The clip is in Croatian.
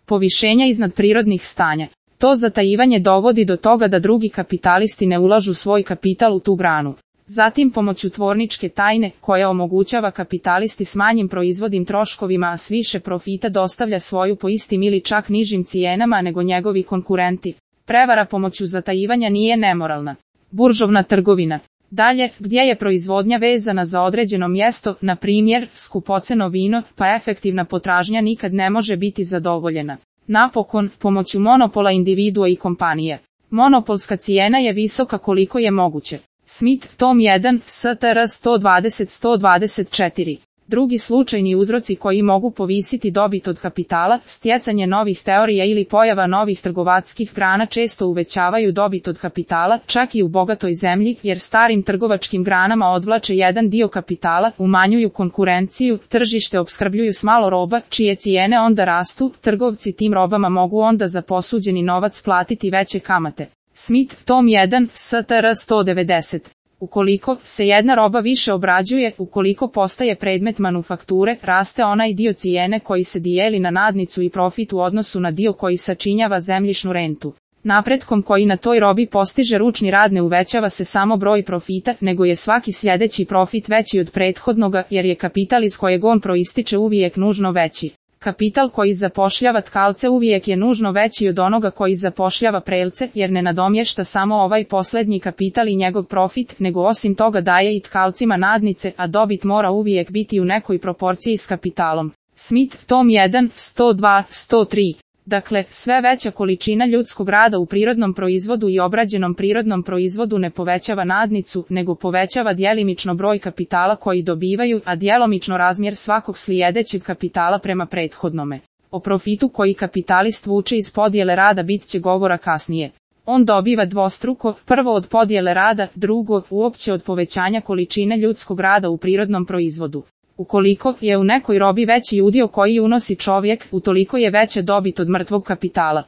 povišenja iznad prirodnih stanja. To zatajivanje dovodi do toga da drugi kapitalisti ne ulažu svoj kapital u tu granu. Zatim pomoću tvorničke tajne, koja omogućava kapitalisti s manjim proizvodnim troškovima a s više profita dostavlja svoju po istim ili čak nižim cijenama nego njegovi konkurenti. Prevara pomoću zatajivanja nije nemoralna. Buržovna trgovina. Dalje, gdje je proizvodnja vezana za određeno mjesto, na primjer, skupoceno vino, pa efektivna potražnja nikad ne može biti zadovoljena. Napokon, pomoću monopola individua i kompanije. Monopolska cijena je visoka koliko je moguće. Smith, tom 1, STR 120-124. Drugi slučajni uzroci koji mogu povisiti dobit od kapitala, stjecanje novih teorija ili pojava novih trgovačkih grana često uvećavaju dobit od kapitala, čak i u bogatoj zemlji, jer starim trgovačkim granama odvlače jedan dio kapitala, umanjuju konkurenciju, tržište opskrbljuju s malo roba, čije cijene onda rastu, trgovci tim robama mogu onda za posuđeni novac platiti veće kamate. Smith, tom 1, STR 190. Ukoliko se jedna roba više obrađuje, ukoliko postaje predmet manufakture, raste onaj dio cijene koji se dijeli na nadnicu i profit u odnosu na dio koji sačinjava zemljišnu rentu. Napretkom koji na toj robi postiže ručni rad ne uvećava se samo broj profita, nego je svaki sljedeći profit veći od prethodnoga, jer je kapital iz kojeg on proističe uvijek nužno veći. Kapital koji zapošljava tkalce uvijek je nužno veći od onoga koji zapošljava prelce, jer ne nadomješta samo ovaj posljednji kapital i njegov profit, nego osim toga daje i tkalcima nadnice, a dobit mora uvijek biti u nekoj proporciji s kapitalom. Smith, tom 1, 102, 103. Dakle, sve veća količina ljudskog rada u prirodnom proizvodu i obrađenom prirodnom proizvodu ne povećava nadnicu, nego povećava djelimično broj kapitala koji dobivaju, a djelomično razmjer svakog slijedećeg kapitala prema prethodnome. O profitu koji kapitalist vuče iz podjele rada bit će govora kasnije. On dobiva dvostruko, prvo od podjele rada, drugo, uopće od povećanja količine ljudskog rada u prirodnom proizvodu. Ukoliko je u nekoj robi veći udio koji unosi čovjek, utoliko je veća dobit od mrtvog kapitala.